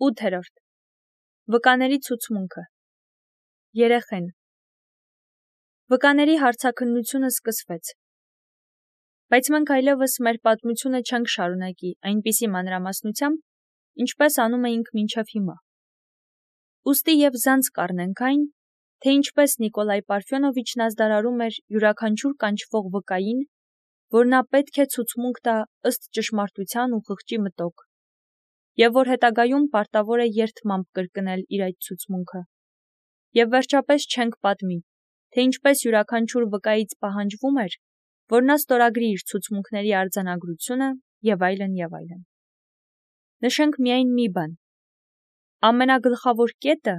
8. Վկաների ցուցմունքը։ Երեխեն։ Վկաների հարցաքննությունը սկսվեց։ Բայց մենք այլևս մեր պատմությունը չենք շարունակի այնպիսի մանրամասնությամբ, ինչպես անում էինք մինչև հիմա։ Ուստի և զանց կառնենք այն, թե ինչպես Նիկոլայ Պարֆյոնովիչն ազդարարում էր յուրաքանչյուր կանչվող վկային, որ նա պետք է ցուցմունք տա ըստ ճշմարտության ու խղճի մտոք, և որ հետագայում պարտավոր է երդմամբ կրկնել իր այդ ցուցմունքը։ Եվ վերջապես չենք պատմի, թե ինչպես յուրաքանչյուր վկայից պահանջվում էր, որ նա ստորագրի իր ցուցմունքների արձանագրությունը և այլն և այլն։ Նշենք միայն մի բան. ամենագլխավոր կետը,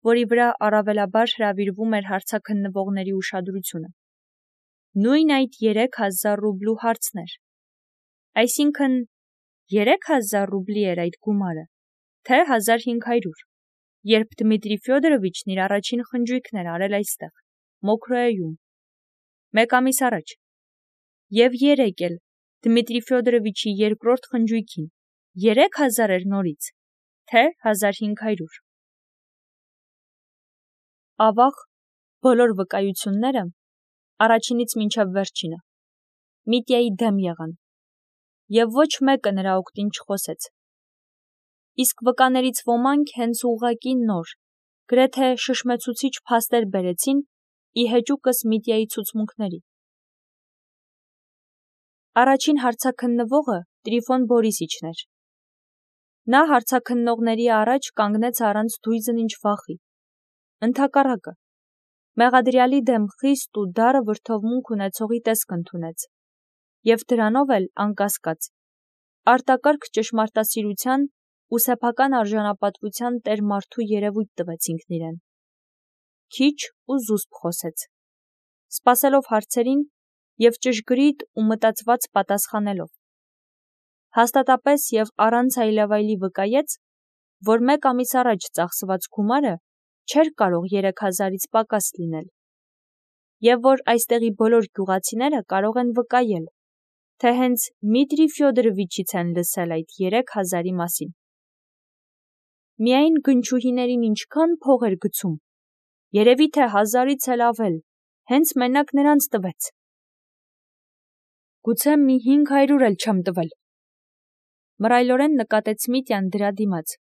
որի վրա առավելաբար հրավիրվում էր հարցաքննվողների ուշադրությունը, նույն այդ 3000 ռուբլու հարցն էր։ Այսինքն 3000 ռուբլի էր այդ գումարը, թե 1500, երբ Դմիտրի Ֆյոդորովիչն իր առաջին խնջույքն էր արել այստեղ, Մոքրոյում, 1 ամիս առաջ, և երեկ էլ Դմիտրի Ֆյոդորովիչի երկրորդ խնջույքին 3000 էր նորից, թե 1500։ Ավաղ բոլոր վկայությունները, առաջինից մինչև վերջինը, Միտյայի դեմ եղան, և ոչ մեկը նրա օգտին չխոսեց։ Իսկ վկաներից ոմանք հենց ուղղակի նոր, գրեթե շշմեցուցիչ փաստեր բերեցին ի հեճուկս Միտյայի ցուցմունքների։ Առաջին հարցաքննվողը Տրիֆոն Բորիսիչն էր։ Նա հարցաքննողների առաջ կանգնեց առանց դույզն ինչ վախի։ Ընդհակառակը, մեղադրյալի դեմ խիստ ու դառը վրդովմունք ունեցողի տեսք ընդունեց, և դրանով էլ, անկասկած, արտակարգ ճշմարտասիրության ու սեփական արժանապատվության տեր մարդու երևույթ տվեց ինքն իրեն։ Քիչ ու զուսպ խոսեց, սպասելով հարցերին և ճշգրիտ ու մտածված պատասխանելով։ Հաստատապես և առանց այլևայլի վկայեց, որ 1 ամիս առաջ ծախսված գումարը չէր կարող 3000-ից պակաս լինել, և որ այստեղի բոլոր գյուղացիները կարող են վկայել, թե հենց Դմիտրի Ֆյոդորովիչից են լսել այդ 3000-ի մասին։ Միայն գնչուհիներին ինչքան փող էր գցում, երևի թե 1000-ից էլ ավել, հենց մենակ նրանց տվեց։ Գուցե մի 500 էլ չեմ տվել, մռայլորեն նկատեց Միտյան դրա դիմաց։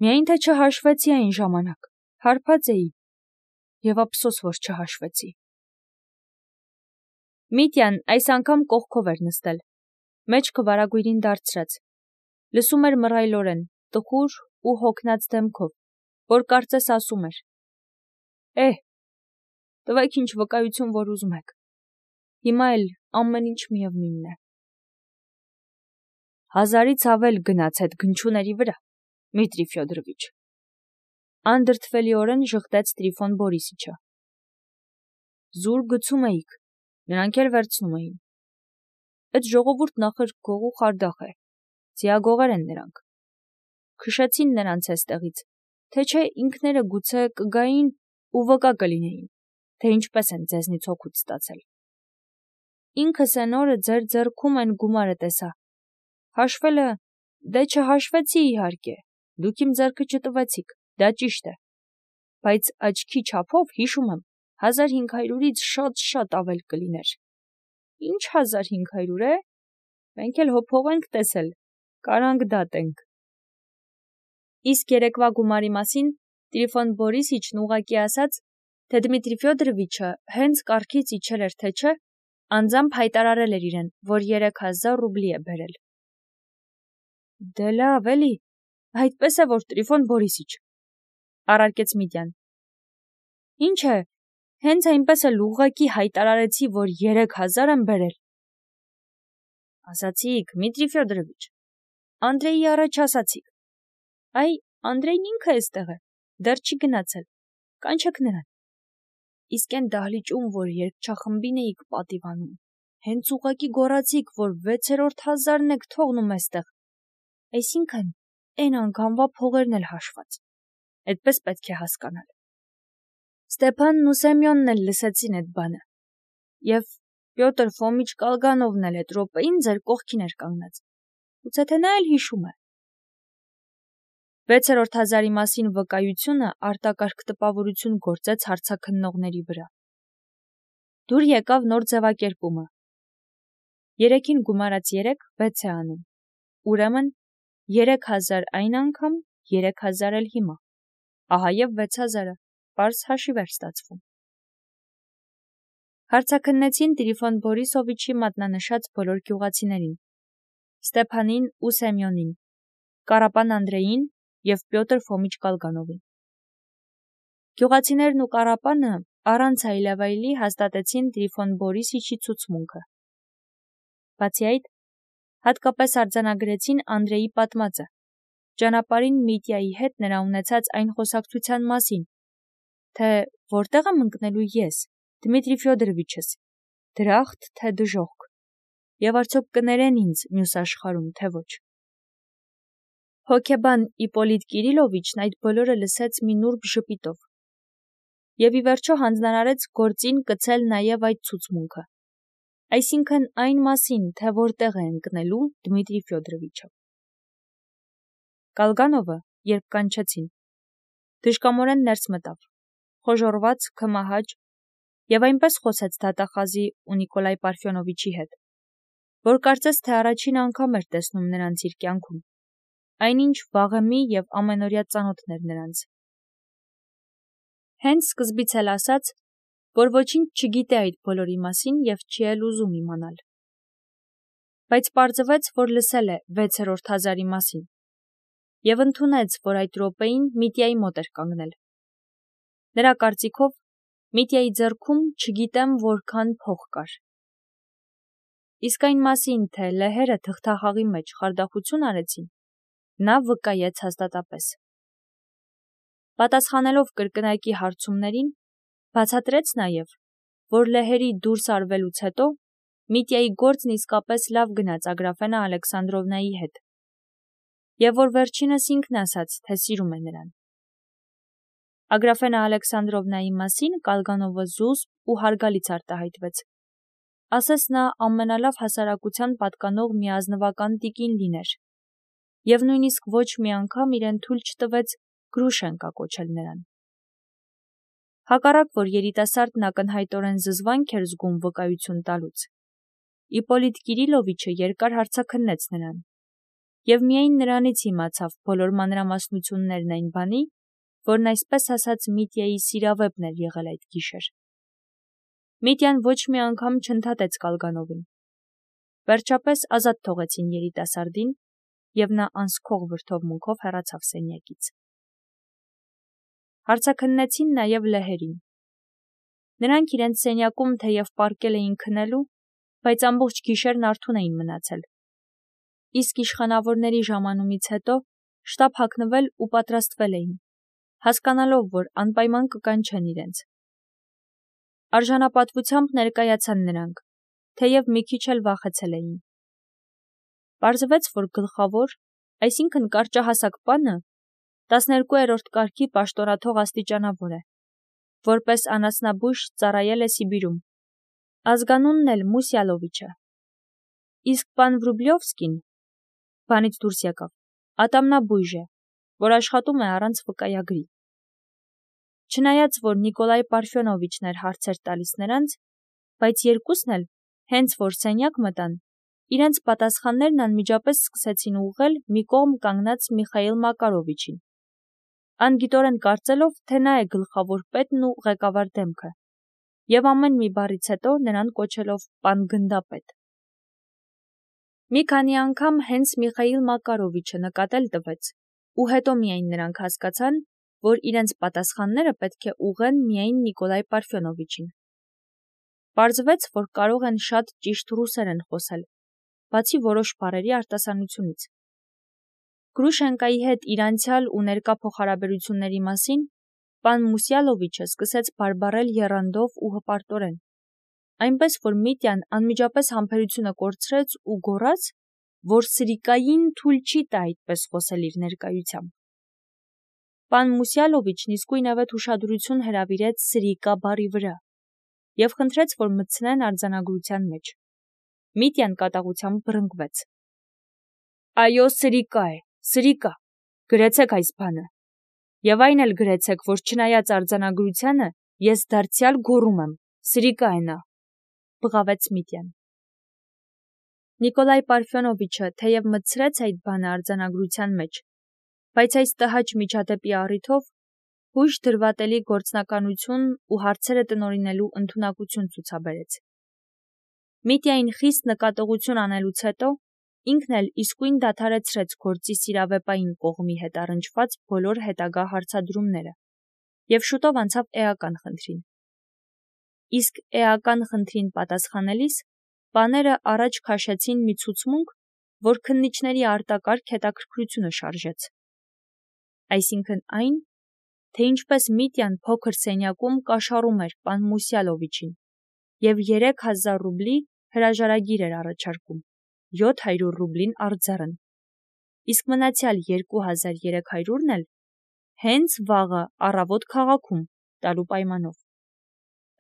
Միայն թե չհաշվեցի այն ժամանակ, հարբած էի, և ափսոս, որ չհաշվեցի։ Միտյան այս անգամ կողքով էր նստել, մեջքը վարագույրին դարձրած, լսում էր մռայլորեն, տխուր ու հոգնած դեմքով, որ կարծես ասում էր. տվեք ինչ վկայություն, որ ուզում եք, հիմա էլ ամեն ինչ միևնույնն է։ 1000-ից ավել գնաց այդ գնչուների վրա, Դմիտրի Ֆյոդորովիչ, անդրդվելիորեն ժխտեց Տրիֆոն Բորիսիչը։ Զուր գցում էիք, նրանք էլ վերցնում էին։ Այդ ժողովուրդն ախր գող ու խարդախ է, ձիագողեր են նրանք։ Քշեցին նրանց էստեղից, թե չէ ինքները գուցե կգային ու վկա կլինեին, թե ինչպես են ձեզնից օգուտ ստացել։ Ինքս էն օրը ձեր ձեռքում են գումարը տեսա։ Հաշվելը, դե չհաշվեցի իհարկե, դուք իմ ձեռքը չտվեցիք, դա ճիշտ է, բայց աչքի չափով հիշում եմ, 1500-ից շատ ավել կլիներ։ Ինչ 1500 է, մենք էլ հոփող ենք տեսել, կարանք դատենք։ Իսկ երեկվա գումարի մասին Տրիֆոն Բորիսիչն ուղղակի ասաց, թե Դմիտրի Ֆյոդորովիչը հենց կառքից իջել էր, թե չէ, անձամբ հայտարարել էր իրեն, որ 3000 ռուբլի է բերել։ Դե լավ, էլի, այդպես է, որ Տրիֆոն Բորիսիչ, առարկեց Միտյան։ Ինչ է, հենց այնպես էլ ուղղակի հայտարարեցի, որ 3000 եմ բերել։ Ասացիք, Դմիտրի Ֆյոդորովիչ, Անդրեյի առաջ ասացիք։ Այ, Անդրեյն ինքը էստեղ է, դեռ չի գնացել, կանչեք նրան։ Իսկ այն դահլիճում, որ երգչախմբին էիք պատիվանում, հենց ուղղակի գոռացիք, որ 6-րդ 1000-ն եք թողնում էստեղ, այսինքն այն անգամվա փողերն էլ հաշված, այդպես պետք է հասկանալ։ Ստեփանն ու Սեմյոնն էլ լսեցին այդ բանը, և Պյոտր Ֆոմիչ Կալգանովն էլ այդ րոպեին ձեր կողքին էր կանգնած, գուցե թե նա էլ հիշում է։ 6-րդ հազարի մասին վկայությունը արտակարգ տպավորություն գործեց հարցաքննողների վրա։ Դուր եկավ նոր ձևակերպումը։ 3-ին գումարած 3 6 է անում։ Ուրեմն 3000 այն անգամ, 3000 էլ հիմա։ Ահա եւ 6000-ը, պարզ հաշիվ էր ստացվում։ Հարցաքննեցին Տրիֆոն Բորիսովիչի մատնանշած բոլոր գյուղացիներին, Ստեփանին ու Սեմյոնին, Կարապան Անդրեին և Պյոտր Ֆոմիչ Կալգանովին։ Գյուղացիներն ու Կարապանը առանց այլևայլի հաստատեցին Տրիֆոն Բորիսիչի ցուցմունքը։ Բացի այդ, հատկապես արձանագրեցին Անդրեի պատմածը, ճանապարհին Միտյայի հետ նրա ունեցած այն խոսակցության մասին, թե որտեղ եմ ընկնելու ես, Դմիտրի Ֆյոդորովիչս, դրախտ թե դժոխք, եւ արդյոք կներեն ինձ մյուս աշխարհում, թե ոչ։ Հոգեբան Իպոլիտ Կիրիլովիչն այդ բոլորը լսեց մի նուրբ ժպիտով եւ ի վերջո հանձնարարեց գործին կցել նաեւ այդ ցուցմունքը, այսինքն այն մասին, թե որտեղ է ընկնելու Դմիտրի Ֆյոդորովիչը։ Կալգանովը, երբ կանչեցին, դժկամորեն ներս մտավ, խոժոռված, քմահաճ, եւ այնպես խոսեց դատախազի ու Նիկոլայ Պարֆյոնովիչի հետ, որ կարծես թե առաջին անգամ էր տեսնում նրանց իր կյանքում, այնինչ վաղեմի եւ ամենօրյա ծանոթն էր նրանց։ Հենց սկզբից էլ ասաց, որ ոչինչ չգիտե այդ բոլորի մասին եւ չի էլ ուզում իմանալ։ Բայց պարզվեց, որ լսել է 6-րդ հազարի մասին եւ ընդունեց, որ այդ րոպեին Միտյայի մոտ էր կանգնել։ Նրա կարծիքով Միտյայի ձեռքում չգիտեմ որքան փող կար։ Իսկ այն մասին, թե լեհերը թղթախաղի մեջ խարդախություն արեցին, նա վկայեց հաստատապես։ Պատասխանելով կրկնակի հարցումներին, բացատրեց նաև, որ լեհերի դուրս արվելուց հետո Միտյայի գործն իսկապես լավ գնաց Ագրաֆենա Ալեքսանդրովնայի հետ, եւ որ վերջինս ինքն ասաց, թե սիրում է նրան։ Ագրաֆենա Ալեքսանդրովնայի մասին Կալգանովը զուսպ ու հարգալից արտահայտվեց։ Ասես նա ամենալավ հասարակության պատկանող մի ազնվական տիկին լիներ, եւ նույնիսկ ոչ մի անգամ իրեն թույլ չտվեց Գրուշենկա կոչել նրան։ Հակառակ որ երիտասարդն ակնհայտորեն զզվանք էր զգում վկայություն տալուց, Իպոլիտ Կիրիլովիչը երկար հարցաքննեց նրան, եւ միայն նրանից իմացավ բոլոր մանրամասնություններն այն բանի, որն այսպես ասած Միտյայի սիրավեպն էր եղել այդ գիշեր։ Միտյան ոչ մի անգամ չընդհատեց Կալգանովին։ Վերջապես ազատ թողեցին երիտասարդին, եւ նա անսքող վրդովմունքով հեռացավ սենյակից։ Հարցաքննեցին նաև լեհերին։ Նրանք իրենց սենյակում թեև պառկել էին քնելու, բայց ամբողջ գիշերն արթուն էին մնացել։ Իսկ իշխանավորների ժամանումից հետո շտապ հագնվել ու պատրաստվել էին, հասկանալով, որ անպայման կկանչեն իրենց։ Արժանապատվությամբ ներկայացան նրանք, թեև մի քիչ էլ վախեցել էին։ Պարզվեց, որ գլխավոր, այսինքն կարճահասակ պանը 12-րդ կարգի պաշտոնաթող աստիճանավոր է, որպես անասնաբույժ ծառայել է Սիբիրում, ազգանունն էլ Մուսյալովիչը։ Իսկ պան Վրուբլյովսկին բանից դուրս եկավ, ատամնաբույժ է, որ աշխատում է առանց վկայագրի։ Չնայած, որ Նիկոլայ Պարֆյոնովիչն էր հարցեր տալիս նրանց, բայց երկուսն էլ, հենց որ սենյակ մտան, իրենց պատասխաններն անմիջապես սկսեցին ուղղել մի կողմ կանգնած Միխայիլ Մակարովիչին, անգիտորեն կարծելով, թե նա է գլխավոր պետն ու ղեկավար դեմքը, եւ ամեն մի բառից հետո նրան կոչելով պան գնդապետ։ Մի քանի անգամ հենց Միխայիլ Մակարովիչը նկատել տվեց, ու հետո միայն նրանք հասկացան, որ իրենց պատասխանները պետք է ուղղեն միայն Նիկոլայ Պարֆյոնովիչին։ Պարզվեց, որ կարող են շատ ճիշտ ռուսերեն խոսել, բացի որոշ բառերի արտասանությունից։ Գրուշենկայի հետ իր անցյալ ու ներկա փոխհարաբերությունների մասին պան Մուսյալովիչը սկսեց բարբառել եռանդով ու հպարտորեն, այնպես որ Միտյան անմիջապես համբերությունը կորցրեց ու գոռաց, որ Սրիկային թույլ չի տա այդպես խոսել իր ներկայությամբ։ Պան Մուսյալովիչն իսկույնավետ ուշադրություն հրավիրեց Սրիկա բառի վրա եւ խնդրեց, որ մտցնեն արձանագրության մեջ։ Միտյան կատաղությամբ բռնկվեց։ Այո, Սրիկա է, Սրիկա, գրեցեք այս բանը։ Եվ այն էլ գրեցեք, որ չնայած արձանագրությանը, ես դարձյալ գոռում եմ, սրիկա է նա, բղավեց Միտյան։ Նիկոլայ Պարֆյոնովիչը թեև մտցրեց այդ բանը արձանագրության մեջ, բայց այս տհաճ միջադեպի առիթով հույժ դրվատելի գործնականություն ու հարցերը տնօրինելու ընդունակություն ցուցաբերեց։ Միտյային խիստ նկատողություն անելուց հետո ինքն էլ իսկույն դադարեցրեց գործի սիրավեպային կողմի հետ առնչված բոլոր հետագա հարցադրումները և շուտով անցավ էական խնդրին։ Իսկ էական խնդրին պատասխանելիս բաները առաջ քաշեցին մի ցուցմունք, որ քննիչների արտակարգ հետաքրքրությունը շարժեց։ Այսինքն այն, թե ինչպես Միտյան փոքր սենյակում կաշառում էր պան Մուսյալովիչին և 3000 ռուբլի հրաժարագիր էր առաջարկում, 700 ռուբլին արձառն, իսկ մնացյալ 2300-ն էլ հենց վաղը առավոտ քաղաքում տալու պայմանով։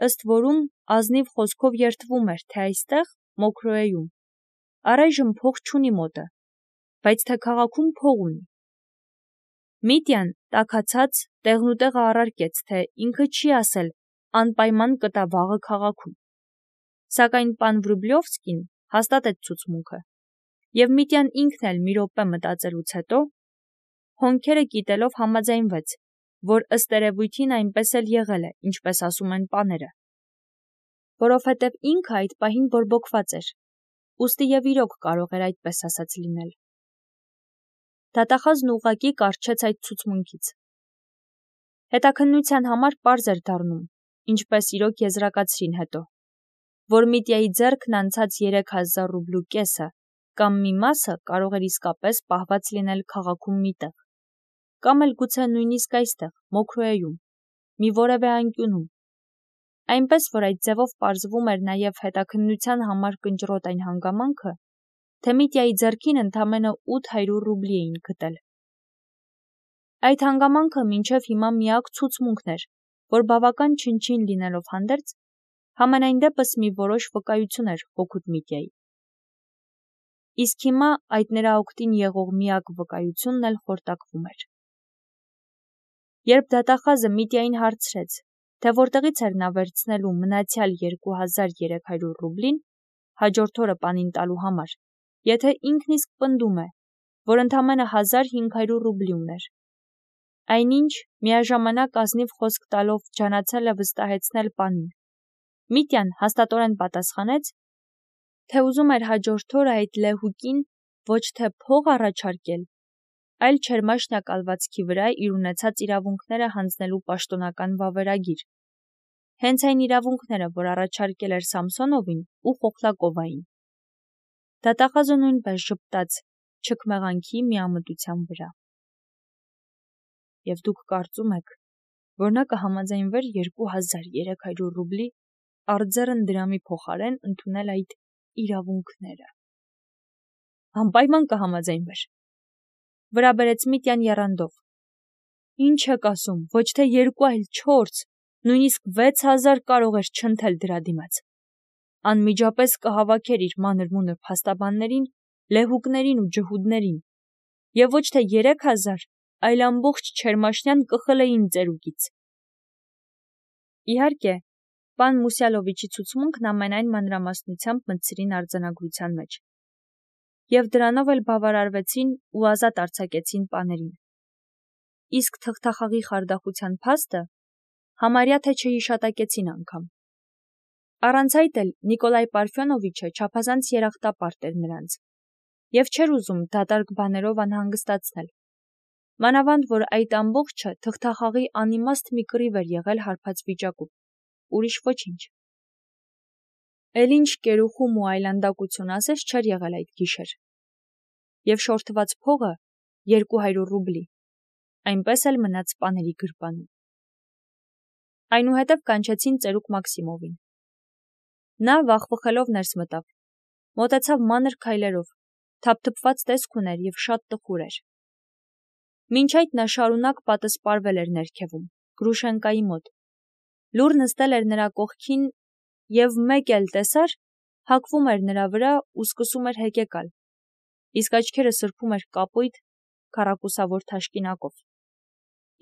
Ըստ որում ազնիվ խոսքով երդվում էր, թե այստեղ, Մոքրոեում, առայժմ փող չունի մոտը, բայց թե քաղաքում փող ունի։ Միտյան տաքացած տեղնուտեղը առարկեց, թե ինքը չի ասել անպայման կտա վաղը քաղաքում։ Սակայն պան Վրուբլովսկին հաստատեց ցուցմունքը, և Միտյան ինքն էլ մի րոպե մտածելուց հետո, հոնքերը կիտելով համաձայնվեց, որ ըստ երևույթին այնպես էլ եղել է, ինչպես ասում են պաները, որովհետև ինքը այդ պահին բորբոքված էր, ուստի և իրոք կարող էր այդպես ասած լինել։ Դատախազն ուղղակի կառչեց այդ ցուցմունքից։ Հետաքննության համար պարզ էր դառնում, ինչպես իրոք եզրակացրին հետո, որ Միտյայի ձեռքն անցած 3000 ռուբլու կեսը կամ մի մասը կարող էր իսկապես պահված լինել քաղաքում մի տեղ, կամ էլ գուցե նույնիսկ այստեղ, Մոքրոեում, մի որևէ անկյունում, այնպես որ այդ ձևով պարզվում էր նաև հետաքննության համար կնճռոտ այն հանգամանքը, թե Միտյայի ձեռքին ընդամենը 800 ռուբլի էին գտել։ Այդ հանգամանքը մինչև հիմա միակ ցուցմունքն էր, որ բավական չնչին լինելով հանդերձ, համենայն դեպս մի որոշ վկայություն էր հօգուտ Միտյայի։ Իսկ հիմա այդ նրա օգտին եղող միակ վկայությունն էլ խորտակվում էր։ Երբ դատախազը Միտյային հարցրեց, թե որտեղից էր նա վերցնելու մնացյալ 2300 ռուբլին հաջորդ օրը պանին տալու համար, եթե ինքն իսկ պնդում է, որ ընդամենը 1500 ռուբլի ուներ, այնինչ միաժամանակ ազնիվ խոսք տալով ջանացել է վստահեցնել պանին, Միտյան հաստատորեն պատասխանեց, թե ուզում էր հաջորդ օրը այդ լեհուկին ոչ թե փող առաջարկել, այլ Չերմաշնյա կալվածքի վրա իր ունեցած իրավունքները հանձնելու պաշտոնական վավերագիր, հենց այն իրավունքները, որ առաջարկել էր Սամսոնովին ու Խոխլակովային։ Դատախազը նույնպես ժպտաց չքմեղանքի միամտության վրա։ Եվ դուք կարծում եք, որ նա կհամաձայնվեր 2300 ռուբլի արձեռն դրամի փոխարեն ընդունել այդ իրավունքները։ Անպայման կհամաձայնվեր, վրա բերեց Միտյան եռանդով։ Ինչ եք ասում, ոչ թե 2, այլ 4, նույնիսկ 6000 կարող էր չընթել դրա դիմաց։ Անմիջապես կհավաքեր իր մանր-մունր փաստաբաններին, լեհուկներին ու ջհուդներին, և ոչ թե 3000, այլ ամբողջ Չերմաշնյան կխլեին ծերուկից։ Իհարկե, պան Մուսյալովիչի ցուցմունքն ամենայն մանրամասնությամբ մտցրին արձանագրության մեջ, և դրանով էլ բավարարվեցին ու ազատ արձակեցին պաներին։ Իսկ թղթախաղի խարդախության փաստը համարյա թե չհիշատակեցին անգամ։ Առանց այդ էլ Նիկոլայ Պարֆյոնովիչը չափազանց երախտապարտ էր նրանց, և չէր ուզում դատարկ բաներով անհանգստացնել, մանավանդ որ այդ ամբողջը թղթախաղի անիմաստ մի կռիվ էր եղել հարբած վիճակում, ուրիշ ոչինչ։ Էլ ինչ կերուխում ու այլանդակություն ասես չէր եղել այդ գիշեր։ Եվ շորթված փողը 200 ռուբլի, այնպես էլ մնաց պաների գրպանում։ Այնուհետև կանչեցին ծերուկ Մաքսիմովին։ Նա վախվխելով ներս մտավ, մոտեցավ մանր քայլերով, թափթփված տեսք ուներ և շատ տխուր էր։ Մինչ այդ նա շարունակ պատսպարվել էր ներքևում, Գրուշենկայի մոտ, լուռ նստել էր նրա կողքին և մեկ էլ տեսար, հագվում էր նրա վրա ու սկսում էր հեկեկալ, իսկ աչքերը սրբում էր կապույտ, քառակուսավոր թաշկինակով,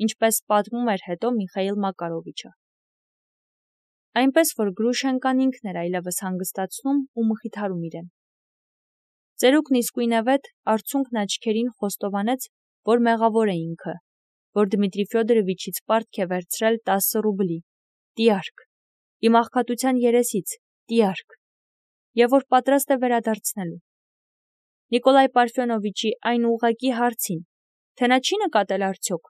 ինչպես պատմում էր հետո Միխայիլ Մակարովիչը։ Այնպես, որ Գրուշենկան ինքն էր այլևս հանգստացնում ու մխիթարում իրեն։ Ծերուկն իսկույնևեթ արցունքն աչքերին խոստովանեց, որ մեղավոր է ինքը, որ Դմիտրի Ֆյոդորովիչից պարտք է վերցրել 10 ռուբլի, տիարք, իմ աղքատության երեսից, տիարք, և որ պատրաստ է վերադարձնելու։ Նիկոլայ Պարֆյոնովիչի այն ուղղակի հարցին, թե նա չի նկատել արդյոք,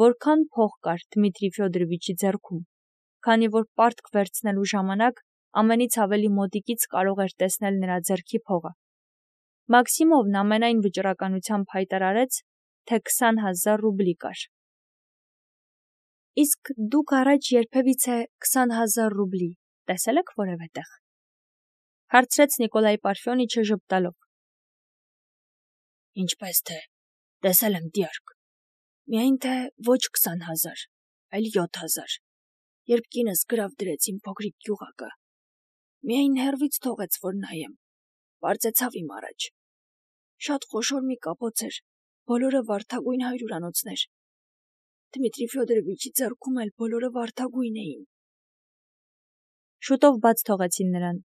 որքան փող կար Դմիտրի Ֆյոդորովիչի ձեռքում, քանի որ պարտք վերցնելու ժամանակ ամենից ավելի մոտիկից կարող էր տեսնել նրա ձեռքի փողը։ Մաքսիմովն ամենայն վճռականությամբ հայտարարեց, թե 20,000 ռուբլի կար։ Իսկ դուք առաջ երբևիցե 20,000 ռուբլի տեսել եք որևէ տեղ, հարցրեց Նիկոլայ Պարֆյոնիչը ժպտալով։ Ինչպես թե, տեսել եմ տիարք, միայն թե ոչ 20,000, այլ 7,000, երբ կինս գրավ դրեց իմ փոքրիկ գյուղակը, միայն հեռվից թողեց, որ նայեմ, պարծեցավ իմ առաջ, շատ խոշոր մի կապոց էր, բոլորը վարդագույն հայրուրանոցներ, Դմիտրի Ֆյոդորովիչի ձեռքում էլ բոլորը վարդագույն էին։ Շուտով բաց թողեցին նրան,